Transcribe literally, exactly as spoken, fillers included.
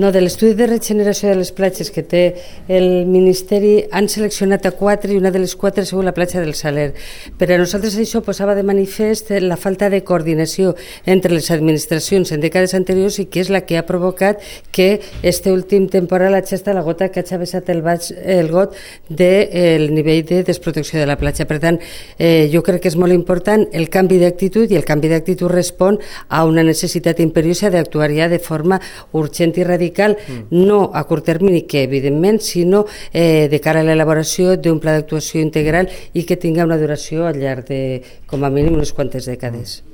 No, de l'estudi de regeneració de les platges que té el Ministeri han seleccionat a quatre i una de les quatre ha sigut la platja del Saler. Per a nosaltres això posava de manifest la falta de coordinació entre les administracions en dècades anteriors i que és la que ha provocat que este últim temporal hagi estat la gota que ha xavessat el, baix, el got del nivell de desprotecció de la platja. Per tant, eh, jo crec que és molt important el canvi d'actitud i el canvi d'actitud respon a una necessitat imperiosa d'actuar ja de forma urgent i radical, no a curt termini, que evidentment, sinó eh, de cara a l'elaboració d'un pla d'actuació integral i que tinga una duració al llarg de, com a mínim, unes quantes dècades.